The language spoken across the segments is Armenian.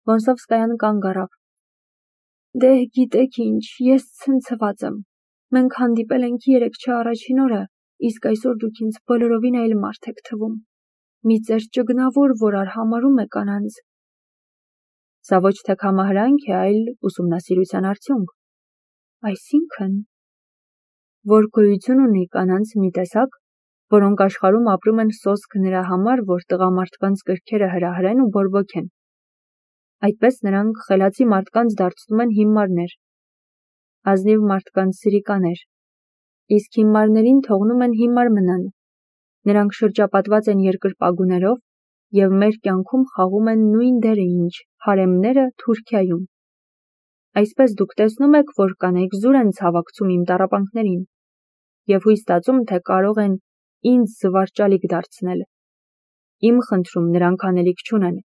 Վոնսովսկայան կանգ առավ։ Դե գիտեք ինչ, ես ցնցված եմ։ Մենք հանդիպել ենք 3 առաջին օրը, իսկ այսօր դուք ինձ բոլորովին այլ մարդ եք թվում։ Մի ծեր ճգնավոր, որ արհամարհում է կանանց։ Սա ոչ թե կամահրանք է, այլ ուսումնասիրության արդյունք։ Այսինքն, որ գոյություն ունի կանանց մի տեսակ, որոնք աշխարհում ապրում են սոսկ նրա համար, որ տղամարդկանց կրքերը հրահրեն ու բորբոքեն։ Այդպես նրանք խելացի մարդկանց դարձնում են հիմարներ, ազնիվ մարդկանց սրիկաներ, իսկ հիմարներին թողնում են հիմար մնան։ Նրանք շրջապատված են երկրպագուներով և մեր կյանքում խաղում են նույն դերը, ինչ հարեմները Թուրքիայում։ Այսպես դուք տեսնում եք, որ կանայք զուր են ցավակցում իմ տառապանքներին և հույս ստացում, թե կարող են ինձ զվարճալիք դարձնել։ Իմ խնդրում նրանք անելիք չունեն։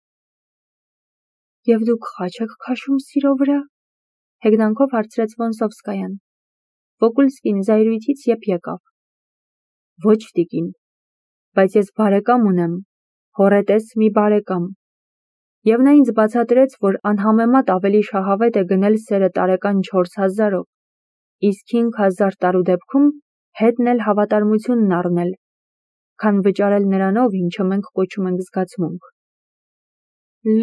Եվ դուք խաչ եք քաշում սիրո վրա, հեգնանքով հարցրեց Վոնսովսկայան։ Վոկուլսկին զայրույթից եփ եկավ։ Ոչ տիկին, բայց ես բարեկամ ունեմ, հոռետես մի բարեկամ։ Եվ նա ինձ բացատրեց, որ անհամեմատ ավելի շահավետ է գնել սերը տարեկան 4000-ով, իսկ 5000 տարու դեպքում հետն էլ հավատարմությունն առնել, քան վճարել նրանով, ինչը մենք կոչում ենք զգացմունք։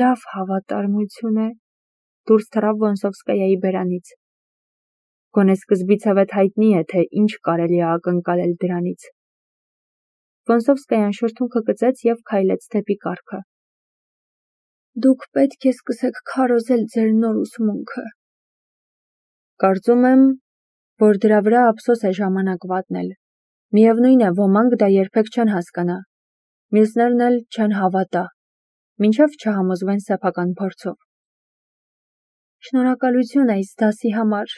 Լավ հավատարմություն է, դուրս թռավ Վոնսովսկայայի բերանից։ Գոնե սկզբիցևէ հայտնի է, թե ինչ կարելի է ակնկալել դրանից։ Վոնսովսկայան շրթունքը կծեց և քայլեց դեպի կառքը։ Դուք պետք է սկսեք քարոզել ձեր նոր ուսմունքը։ Կարծում եմ, որ դրա վրա ափսոս է ժամանակ վատնել։ Միևնույն է, ոմանք դա երբեք չեն հասկանա, մյուսներն էլ չեն հավատա, մինչև չհամոզվեն սեփական փորձով։ Շնորհակալություն այս դասի համար,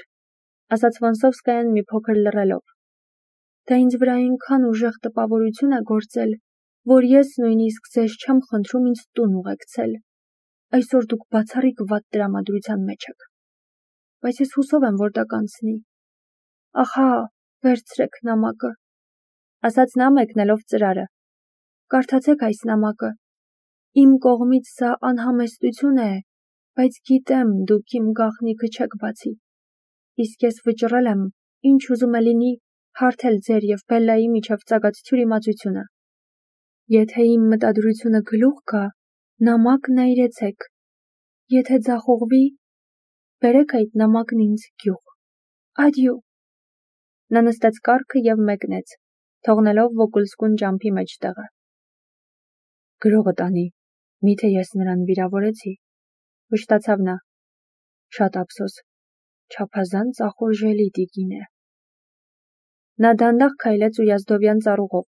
ասաց Վոնսովսկայան մի փոքր լռելով։ Դա ինձ վրա այնքան ուժեղ տպավորություն է գործել, որ ես նույնիսկ ձեզ չեմ խնդրում ինձ տուն ուղեկցել։ Այսօր դուք բացառիկ վատ տրամադրության մեջ եք։ Բայց ես հուսով եմ, որ դա կանցնի։ Ահա, վերցրեք նամակը, ասաց նա մեկնելով ծրարը։ Կարդացեք այս նամակը։ Իմ կողմից սա անհամեստություն է, բայց գիտեմ, դուք իմ գաղտնիքը չեք բացի։ Իսկ ես վճռել եմ, ինչ ուզում է լինի, հարթել ձեր և Բելլայի միջև ծագած թյուրիմացությունը։ Եթե իմ մտադրությունը գլուխ գա, նամակն այրեցեք։ Եթե ձախողվի, բերեք այդ նամակն ինձ գյուղ։ Ադյու։ Նա նստեց կառքը և մեկնեց, թողնելով Վոկուլսկուն ճամփի մեջտեղը։ Գրողը տանի, միթե ես նրան վիրավորեցի, վշտացավ նա։ Շատ ափսոս, չափազանց ախորժելի տիկին է։ Նա դանդաղ քայլեց Ույազդովյան ծառուղով,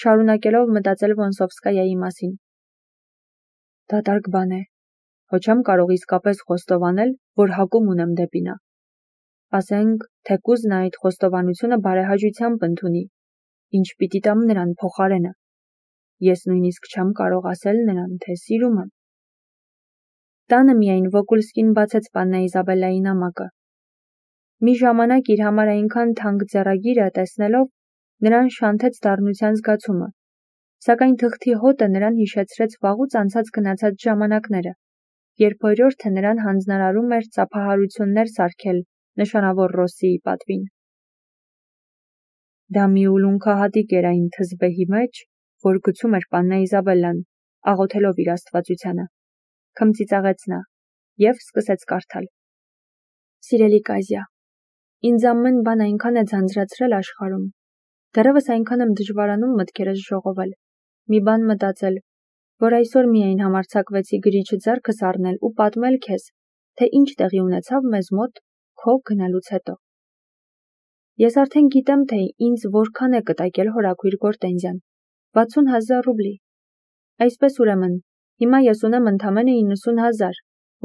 շարունակելով մտածել Վոնսովսկայայի մասին։ Դատարկ բան է, հո չեմ կարող իսկապես խոստովանել, որ հակում ունեմ դեպի նա։ Ասենք, թեկուզ նա այդ խոստովանությունը բարեհաճությամբ ընդունի, ինչ պիտի տամ նրան փոխարենը։ Ես նույնիսկ չեմ կարող ասել նրան, թե սիրում եմ։ Տանը միայն Վոկուլսկին բացեց Պաննա Իզաբելլայի նամակը։ Մի ժամանակ իր համար այնքան թանկ ձեռագիրը տեսնելով, նրան շանթեց դառնության զգացումը, սակայն թղթի հոտը նրան հիշեցրեց վաղուց անցած գնացած ժամանակները, երբ օրիորդը նրան հանձնարարում էր ծափահարություններ սարքել նշանավոր Ռոսսիի պատվին։ Դա մի ուլունքահատիկ էր այն թզբեհի մեջ, որ գցում էր Պաննա Իզաբելլան, աղոթելով իր աստվածությանը, քմծիծաղեց նա և սկսեց կարդալ։ Սիրելի Կազյա, ինձ ամեն բան այնքան է ձանձրացրել աշխարհում, դեռևս այնքան եմ դժվարանում մտքերս ժողովել, մի բան մտածել, որ այսօր միայն համարձակվեցի գրիչը ձեռքս առնել ու պատմել քեզ, թե ինչ տեղի ունեցավ մեզ մոտ քո գնալուց հետո։ Ես արդեն գիտեմ, թե ինձ որքան է կտակել հորաքույր Գորտենզյան, 60,000 ռուբլի։ Այսպես ուրեմն, հիմա ես ունեմ ընդամենը 90,000,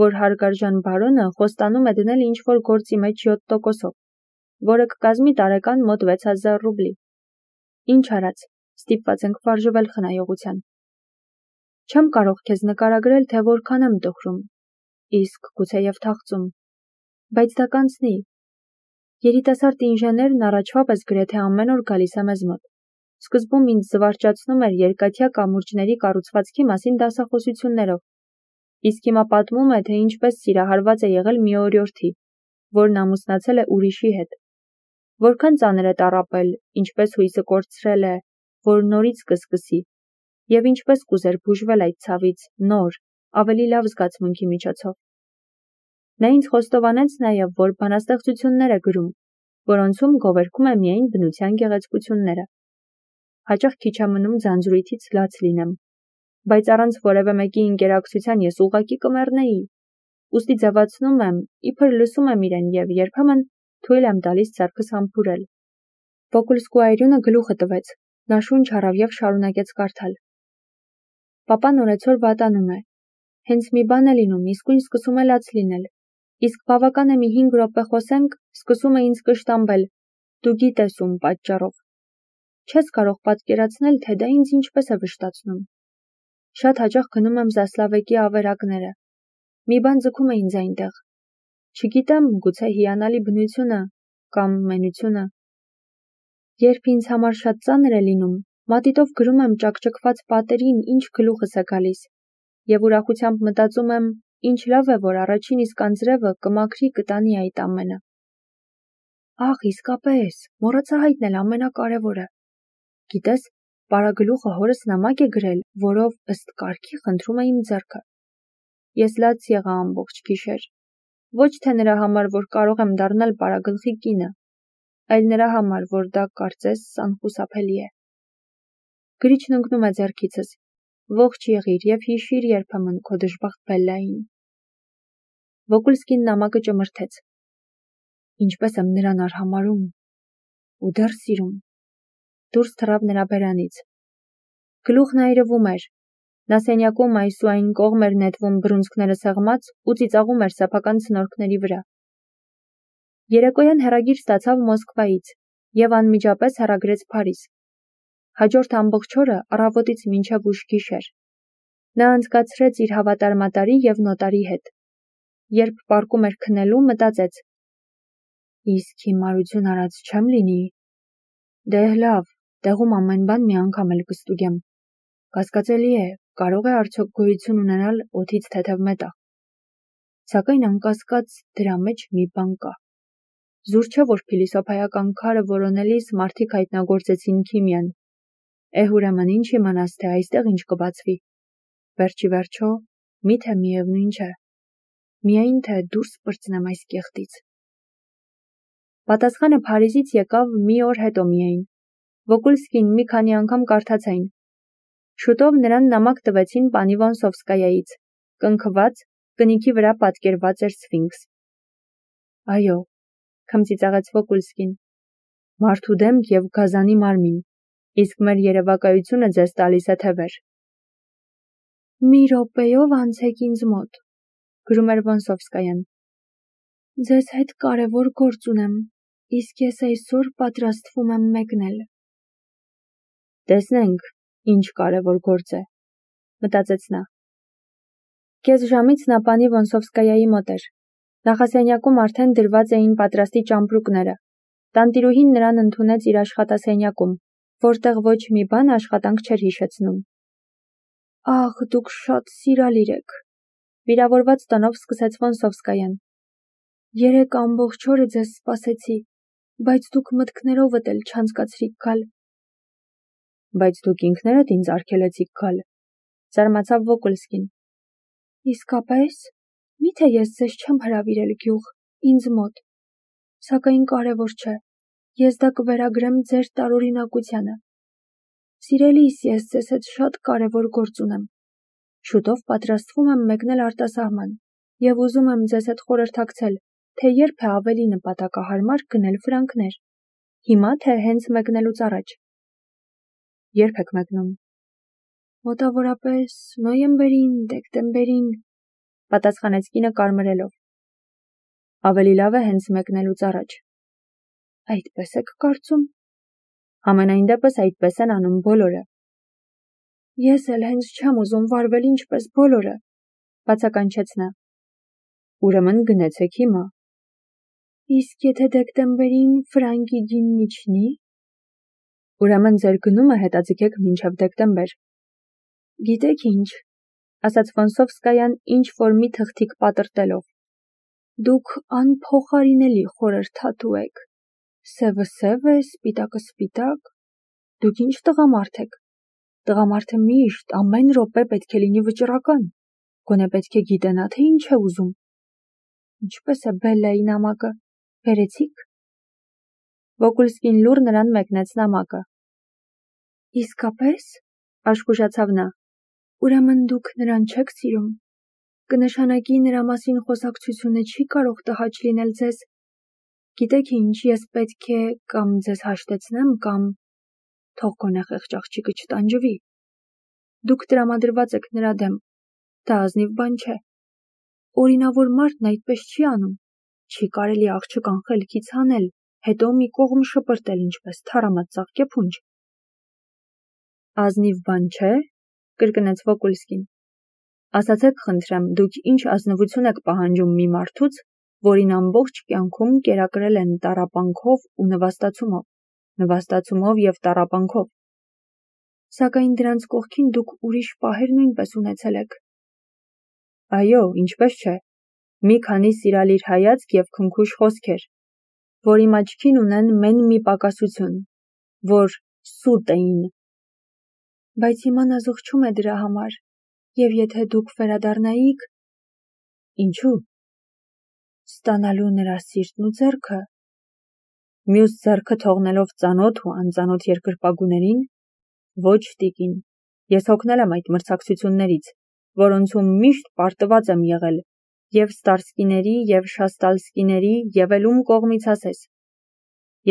որ հարգարժան բարոնը խոստանում է դնել ինչ-որ գործի մեջ 7%-ով, որը կկազմի տարեկան մոտ 6000 ռուբլի։ Ինչ արած, ստիպված ենք վարժվել խնայողության։ Չեմ կարող քեզ նկարագրել, թե որքան եմ տխրում, իսկ գուցեև թախծում, բայց դա կանցնի։ Երիտասարդ ինժեներն առաջվա պես գրեթե ամեն օր գալիս է մեզ մոտ։ Սկզբում ինձ զվարճացնում էր երկաթյա կամուրջների կառուցվածքի մասին դասախոսություններով, Իսկ հիմա պատմում է, թե ինչպես սիրահարված է եղել մի օրիորդի, որն ամուսնացել է ուրիշի հետ։ Որքան ծանր է տառապել, ինչպես հույսը կորցրել է, որ նորից կսկսի, և ինչպես կուզեր բուժվել այդ ցավից, նոր, ավելի լավ զգացմունքի միջոցով։ Նա ինձ խոստովանեց նաև, որ բանաստեղծություններ է գրում, որոնցում գովերգում է միայն բնության գեղեցկությունները։ Հաճախ քիչ է մնում ձանձրույթից լաց լինեմ, բայց առանց որևէ մեկի ինկերակցության ես ուղղակի կմեռնեի, ուստի ձևացնում եմ, իբր լսում եմ իրեն և երբեմն թույլ եմ տալիս ձեռքս համբուրել։ Վոկուլսկու այրյունը գլուխը տվեց, նա շունչ առավ և շարունակեց կարդալ։ Պապան օրեցօր վատանում է։ Հենց մի բան է լինում, իսկույն սկսում է լաց լինել։ Իսկ բավական է մի 5 րոպե խոսենք, սկսում է ինձ կշտամբել, դու գիտես ում պատճառով։ Չես կարող պատկերացնել, թե դա ինձ ինչպես է վշտացնում։ Շատ հաճախ գնում եմ Զասլավեկի ավերակները։ Մի բան ձգում է ինձ այնտեղ։ Չգիտեմ, գուցե հիանալի բնությունը կամ մենությունը։ Երբ ինձ համար շատ ծանր է լինում, մատիտով գրում եմ ճաքճքված պատերին, ինչ գլուխս է գալիս, և ուրախությամբ մտածում եմ, ինչ լավ է, որ առաջին իսկ անձրևը կմաքրի կտանի այդ ամենը։ Ահ, իսկապես, մոռացա հայտնել ամենակարևորը։ Գիտես, պարագլուխը հորս նամակ է գրել, որով ըստ կարգի խնդրում է իմ ձեռքը։ Ես լաց եղա ամբողջ գիշեր։ Ոչ թե նրա համար, որ կարող եմ դառնալ պարագլխի կինը, այլ նրա համար, որ դա կարծես անխուսափելի է։ Գրիչն ընկնում է ձեռքիցս։ Ողջ եղիր և հիշիր երբեմն քո դժբախտ Բելլային։ Վոկուլսկին նամակը ճմրթեց։ Ինչպես եմ նրան արհամարհում ու դեռ սիրում։ Դուրս թռավ նրա բերանից։ Գլուխն այրվում էր։ Նա սենյակում այս ու այն կողմ էր նետվում բռունցքները սեղմած ու ծիծաղում էր սեփական ցնորքների վրա։ Երեկոյան հեռագիր ստացավ Մոսկվայից և անմիջապես հեռագրեց Փարիզ։ Հաջորդ ամբողջ օրը առավոտից մինչև ուշ գիշեր նա անցկացրեց իր հավատարմատարի և նոտարի հետ։ Երբ պառկում էր քնելու, մտածեց. Իսկ հիմարություն արած չեմ լինի։ Դե լավ, տեղում ամեն բան մի անգամ էլ կստուգեմ։ Կասկածելի է, կարող է արդյոք գոյություն ունենալ օդից թեթև մետաղ։ Սակայն անկասկած դրա մեջ մի բան կա։ Զուր չէ, որ փիլիսոփայական քարը որոնելիս մարդիկ հայտնագործեցին քիմիան։ Ուրեմն ինչ իմանաս, թե այստեղ ինչ կբացվի։ Վերջի վերջո, միթե միևնույն չէ։ Միայն թե դուրս պրծնեմ այս կեղտից։ Պատասխանը Փարիզից եկավ մի օր հետո միայն։ Վոկուլսկին մի քանի անգամ կարդաց այն։ Շուտով նրան նամակ տվեցին պանի Վոնսովսկայայից, կնքված, կնիքի վրա պատկերված էր սֆինքս։ Այո, քմծիծաղեց Վոկուլսկին։ Մարդու դեմք և գազանի մարմին, իսկ մեր երևակայությունը ձեզ տալիս է թևեր։ Մի րոպեով անցեք ինձ մոտ, գրում էր Վոնսովսկայան։ Ձեզ հետ կարևոր գործ ունեմ, իսկ ես այսօր պատրաստվում եմ մեկնել։ Տեսնենք, ինչ կարևոր գործ է, մտածեց նա։ Կես ժամից նա պանի Վոնսովսկայայի մոտ էր։ Նախասենյակում արդեն դրված էին պատրաստի ճամպրուկները։ Տանտիրուհին նրան ընդունեց իր աշխատասենյակում, որտեղ ոչ մի բան աշխատանք չէր հիշեցնում։ Ահ, դուք շատ սիրալիր եք, վիրավորված տոնով սկսեց Վոնսովսկայան։ Երեկ ամբողջ օրը ձեզ սպասեցի, բայց դուք մտքներովդ էլ չանցկացրիք գալ։ Բայց դուք ինքներդ ինձ արգելեցիք գալ, զարմացավ Վոկուլսկին։ Իսկապես, միթե ես ձեզ չեմ հրավիրել գյուղ, ինձ մոտ, սակայն կարևոր չէ, ես դա կվերագրեմ ձեր տարօրինակությանը։ Սիրելիս, ես ձեզ հետ շատ կարևոր գործ ունեմ։ Շուտով պատրաստվում եմ մեկնել արտասահման և ուզում եմ ձեզ հետ խորհրդակցել, թե երբ է ավելի նպատակահարմար գնել ֆրանկներ։ Հիմա թե հենց մեկնելուց առաջ։ Երբ եք մեկնում։ Մոտավորապես նոյեմբերին, դեկտեմբերին, պատասխանեց կինը կարմրելով։ Ավելի լավ է հենց մեկնելուց առաջ։ Այդպես եք կարծում։ Համենայն դեպս այդպես են անում բոլորը։ Ես էլ հենց չեմ ուզում վարվել ինչպես բոլորը, բացականչեց նա։ Ուրեմն գնացեք հիմա։ Իսկ եթե դեկտեմբերին ֆրանկի գինն իջնի։ Ուրեմն ձեր գնումը հետաձգեք մինչև դեկտեմբեր։ Գիտեք ինչ, ասաց Վոնսովսկայան ինչ-որ մի թղթիկ պատրտելով։ Դուք անփոխարինելի խորհրդատու եք։ Սևը սև է, սպիտակը սպիտակ։ Դուք ինչ տղամարդ եք։ Տղամարդը միշտ ամեն րոպե պետք է լինի վճռական։ Գոնե պետք է գիտենա, թե ինչ է ուզում։ Ինչպես է Բելլայի նամակը։ Բերեցիք։ Վոկուլսկին լուռ նրան մեկնեց նամակը։ Իսկապես, աշխուժացավ նա, ուրեմն դուք նրան չեք սիրում։ Կնշանակի նրա մասին խոսակցությունը չի կարող տհաճ լինել ձեզ։ Գիտեք ինչ, ես պետք է կամ ձեզ հաշտեցնեմ, կամ թող գոնե խեղճ աղջիկը չտանջվի։ Դուք տրամադրված եք նրա դեմ։ Դա ազնիվ բան չէ։ Օրինավոր մարդն այդպես չի անում։ Չի կարելի աղջկան խելքից հանել, հետո մի կողմ շպրտել, ինչպես թառամած ծաղկեփունջ։ Ազնիվ բան չէ, կրկնեց Վոկուլսկին։ Ասացեք, խնդրեմ, դուք ինչ ազնվություն եք պահանջում մի մարդուց, որին ամբողջ կյանքում կերակրել են տառապանքով ու նվաստացումով և տառապանքով։ Սակայն դրանց կողքին դուք ուրիշ պահեր նույնպես ունեցել եք։ Այո, ինչպես չէ։ Մի քանի սիրալիր հայացք և քնքուշ խոսքեր, որ իմ աչքին ունեն մեն մի պակասություն, որ սուտ էին։ Բայց հիմա նա զղջում է դրա համար, և եթե դուք վերադառնայիք… Ինչու՞։ Ստանալու նրա սիրտն ու ձեռքը։ Մյուս ձեռքը թողնելով ծանոթ ու անծանոթ երկրպագուներին։ Ոչ, տիկին, ես հոգնել եմ այդ մրցակցություններից, որոնցում միշտ պարտված եմ եղել, և Ստարսկիների, և Շաստալսկիների, և էլ ում կողմից ասես։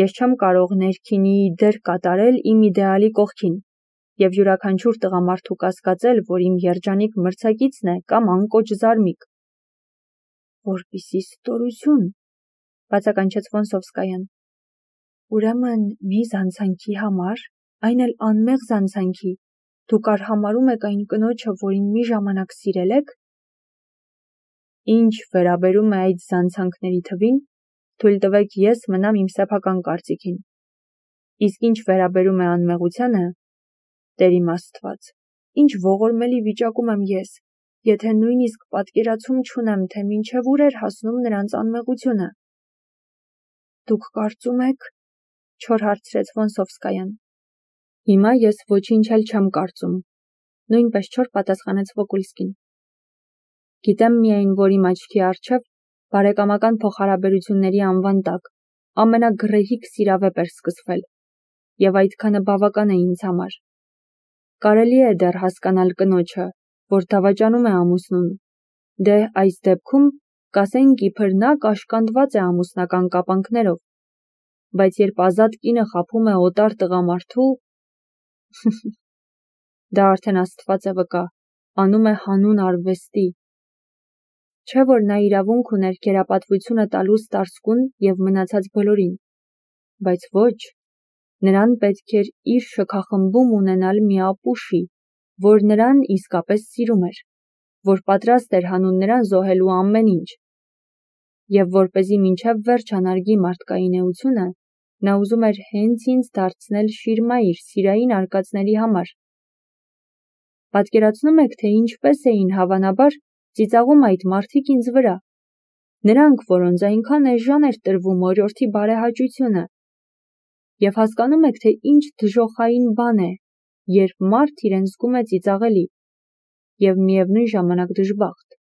Ես չեմ կարող ներքինի դեր կատարել իմ իդեալի կողքին, և յուրաքանչյուր տղամարդու կասկածել, որ իմ երջանիկ մրցակիցն է կամ անկոչ զարմիկ։ Որպիսի ստորություն, բացականչեց Վոնսովսկայան։ Ուրեմն մի զանցանքի համար, այն էլ անմեղ զանցանքի, դուք արհամարհում եք այն կնոջը, որին մի ժամանակ սիրել եք։ Ինչ վերաբերում է այդ զանցանքների թվին, թույլ տվեք ես մնամ իմ սեփական կարծիքին։ Իսկ ինչ վերաբերում է անմեղությանը, Տեր իմ Աստված, ինչ ողորմելի վիճակում եմ ես, եթե նույնիսկ պատկերացում չունեմ, թե մինչև ուր էր հասնում նրանց անմեղությունը։ Դուք կարծում եք, չոր հարցրեց Վոնսովսկայան։ Հիմա ես ոչինչ էլ չեմ կարծում, նույնպես չոր պատասխանեց Վոկուլսկին։ Գիտեմ միայն, որ իմ աչքի առջև բարեկամական փոխհարաբերությունների անվան տակ ամենագռեհիկ սիրավեպ էր սկսվել, և այդքանը բավական է ինձ համար։ Կարելի է դեռ հասկանալ կնոջը, որ դավաճանում է ամուսնուն։ Դե այս դեպքում կասենք իբր նա կաշկանդված է ամուսնական կապանքներով, բայց երբ ազատ կինը խաբում է օտար տղամարդու… Դա արդեն Աստված է վկա, անում է հանուն արվեստի։ Չէ՞ որ նա իրավունք ուներ գերապատվությունը տալու Ստարսկուն և մնացած բոլորին, բայց ոչ, նրան պետք էր իր շքախմբում ունենալ մի ապուշի, որ նրան իսկապես սիրում էր, որ պատրաստ էր հանուն նրան զոհելու ամեն ինչ։ Եվ որպեսզի մինչև վերջ անարգի մարդկային էությունը, նա ուզում էր հենց ինձ դարձնել շիրմա իր սիրային արկածների համար։ Պատկերացնում եք, թե ինչպես էին հավանաբար ծիծաղում այդ մարդիկ ինձ վրա, նրանք, որոնց այնքան էժան էր տրվում օրիորդի բարեհաճությունը։ Եվ հասկանում եք, թե ինչ դժոխային բան է, երբ մարդ իրեն զգում է ծիծաղելի, և միևնույն ժամանակ դժբախտ,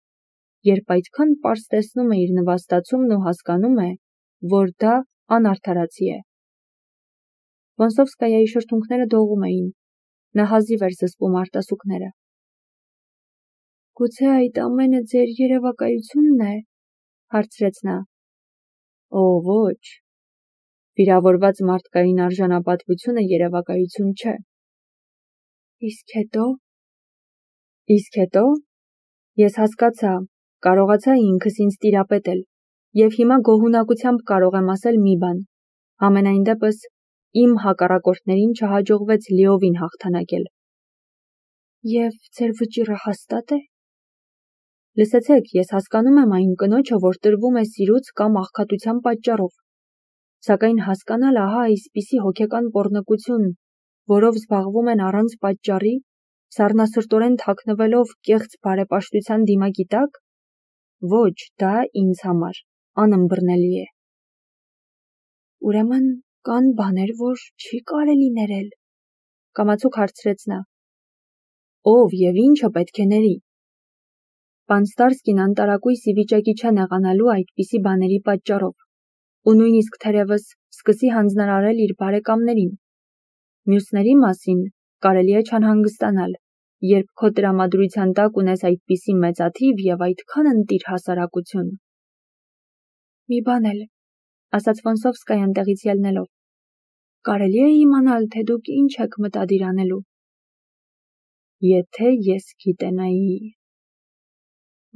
երբ այդքան պարզ տեսնում է իր նվաստացումն ու հասկանում է, որ դա անարդարացի է։ Վոնսովսկայայի շրթունքները դողում էին, նա հազիվ էր զսպում արտասուքները։ Գուցե այդ ամենը ձեր երևակայությունն է, հարցրեց նա։ Օ, ոչ, վիրավորված մարդկային արժանապատվությունը երևակայություն չէ։ Իսկ հետո… Իսկ հետո… Ես հասկացա, կարողացա ինքս ինձ տիրապետել, և հիմա գոհունակությամբ կարող եմ ասել մի բան. համենայն դեպս, իմ հակառակորդներին չհաջողվեց լիովին հաղթանակել։ Եվ ձեր վճիռը հաստա՞տ է։ Լսեցեք, ես հասկանում եմ այն կնոջը, որ տրվում է սիրուց կամ աղքատության պատճառով, սակայն հասկանալ ահա այսպիսի հոգեկան պոռնկություն, որով զբաղվում են առանց պատճառի, Սառնասրտորեն թաքնվելով կեղծ բարեպաշտության դիմակի տակ, ոչ, դա ինձ համար անըմբռնելի է։ Ուրեմն կան բաներ, որ չի կարելի ներել, կամացուկ հարցրեց նա։ Ով եւ ինչը պետք է ների։ Պան Ստարսկին անտարակույս ի վիճակի չէ նեղանալու այդպիսի բաների պատճառով, ու նույնիսկ թերևս սկսի հանձնարարել իր բարեկամներին։ Մյուսների մասին կարելի է չանհանգստանալ, երբ քո տրամադրության տակ ունես այդպիսի մեծաթիվ եւ այդքան ընտիր հասարակություն։ Մի բան էլ, ասաց Ֆոնսովսկայան տեղից ելնելով, կարելի է իմանալ, թե դուք ինչ եք մտադիր անելու։ Եթե ես գիտենայի։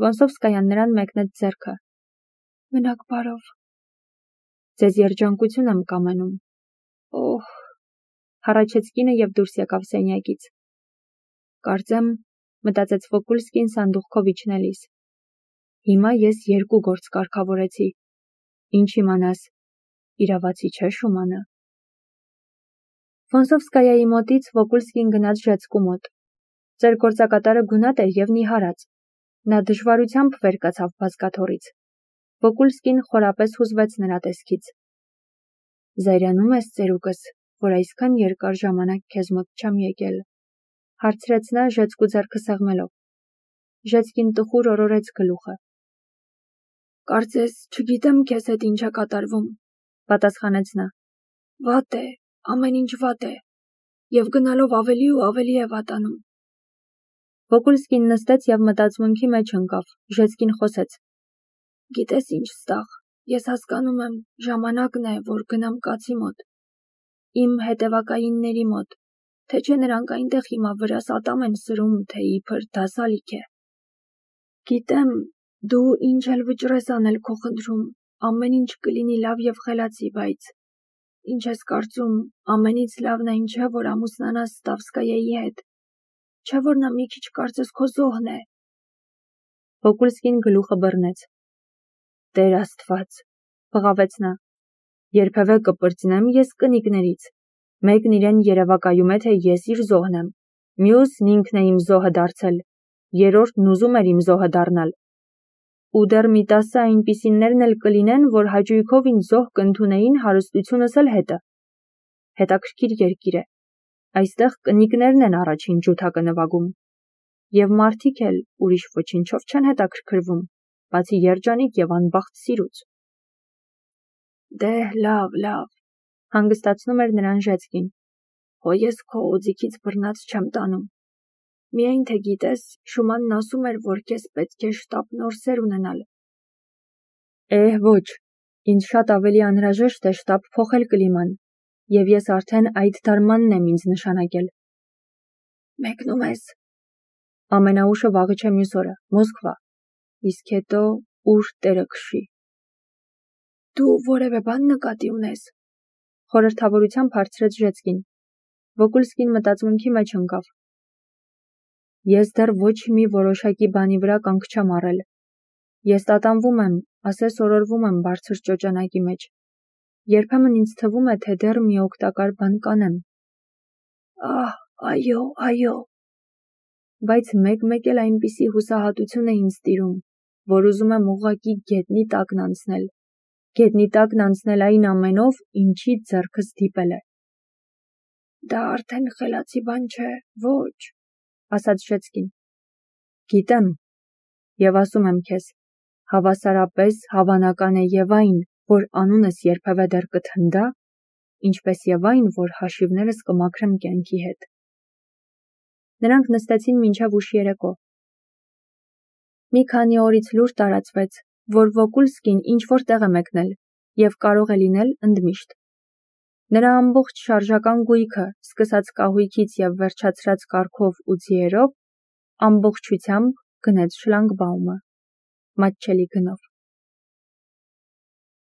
Ֆոնսովսկայան նրան մեկնեց ձեռքը։ Մնաք բարով։ Ձեզ երջանկություն եմ կամենում։ Օհ, հառաչեց կինը եւ դուրս եկավ սենյակից։ Կարծեմ, մտածեց Վոկուլսկին սանդուղքով իջնելիս։ Հիմա ես 2 գործ կարգավորեցի։ Ինչ իմանաս, իրավացի չէ Շումանը։ Ֆոնսովսկայայի մոտից Վոկուլսկին գնաց Ժեցկու մոտ։ Ձեր գործակատարը գունատ էր եւ նիհարած։ Նա դժվարությամբ վեր կացավ բազկաթոռից։ Վոկուլսկին խորապես հուզվեց նրա տեսքից։ Զայրանում ես ծերուկս, որ այսքան երկար ժամանակ քեզ մոտ չեմ եկել, հարցրեց նա Ժեցկու ձեռքը սեղմելով։ Ժեցկին տխուր օրորեց գլուխը։ Կարծես չգիտեմ քեզ հետ ինչ է կատարվում, պատասխանեց նա։ Վատ է, ամեն ինչ վատ է, եւ գնալով ավելի ու ավելի է վատանում։ Վոկուլսկին նստեց եւ մտածմունքի մեջ ընկավ։ Ժեցկին խոսեց. Գիտես ինչ ստաղ, ես հասկանում եմ, ժամանակն է, որ գնամ կացի մոտ, իմ հետևակայինների մոտ, թե չէ նրանք այնտեղ հիմա վրաս ատամ են սրում, թե իբր դասալիք է։ Գիտեմ, դու ինչ էլ վճռես անել քո խնդրում, ամեն ինչ կլինի լավ եւ խելացի, բայց ինչ ես կարծում, ամենից լավն այն չէ, որ ամուսնանաս Ստավսկայայի հետ, չէ որ նա մի քիչ կարծես քո զոհն է։ Վոկուլսկին գլուխը բռնեց։ Տեր Աստված, բղավեց նա, երբևէ կպրծնեմ ես կնիկներից։ Մեկն իրեն երևակայում է, թե ես իր զոհն եմ, մյուսն ինքն է իմ զոհը դարձել, երրորդն ուզում էր իմ զոհը դառնալ։ Ու դեռ մի 10 այնպիսիներն էլ կլինեն, որ հաճույքով ինձ զոհ կընդունեին հարստությունս էլ հետը։ Հետաքրքիր երկիր է։ Այստեղ կնիկներն են առաջին ջութակը նվագում։ Եվ մարդիկ էլ ուրիշ ոչինչով չեն հետաքրքրվում, բացի երջանիկ եւ անբախտ սիրուց։ Դե լավ, հանգստացնում էր նրան Ժեցկին։ Հո ես քո օձիքից բռնած չեմ տանում։ Միայն թե գիտես, Շումանն ասում էր, որ քեզ պետք է շտապ նոր սեր ունենալ։ Ոչ, ինձ շատ ավելի անհրաժեշտ է շտապ փոխել կլիման, եւ ես արդեն այդ դարմանն եմ ինձ նշանակել։ Մեկնում ես։ Ամենաուշը վաղը չէ մյուս օրը, Մոսկվա, իսկ հետո ուր տերը քշի։ Դու որևէ բան նկատի ունես։ Խորհրդավորությամբ հարցրեց Ժեցկին։ Վոկուլսկին մտածմունքի մեջ ընկավ։ Ես դեռ ոչ մի որոշակի բանի վրա կանգ չեմ առել։ Ես տատանվում եմ, ասես օրորվում եմ բարձր ճոճանակի մեջ։ Երբեմն ինձ թվում է, թե դեռ մի օգտակար բան կանեմ։ Այո։ Բայց մեկ էլ այնպիսի հուսահատություն է ինձ տիրում, որ ուզում եմ ուղղակի գետնի տակն անցնել։ Գետնի տակն անցնել այն ամենով, ինչից ձեռքս դիպել է։ Դա արդեն խելացի բան չէ, ոչ, ասաց Ժեցկին։ Գիտեմ, եւ ասում եմ քեզ, հավասարապես հավանական է եւ այն, որ անունս երբևէ դեռ կթնդա, ինչպես եւ այն, որ հաշիվներս կմաքրեմ կյանքի հետ։ Նրանք նստեցին մինչև ուշ երեկո։ Մի քանի օրից լուր տարածվեց, որ Վոկուլսկին ինչ-որ տեղ է մեկնել եւ կարող է լինել ընդմիշտ։ Նրա ամբողջ շարժական գույքը, սկսած կահույքից եւ վերջացրած կառքով ու ձիերով, ամբողջությամբ գնեց շլագբաումը, մատչելի գնով։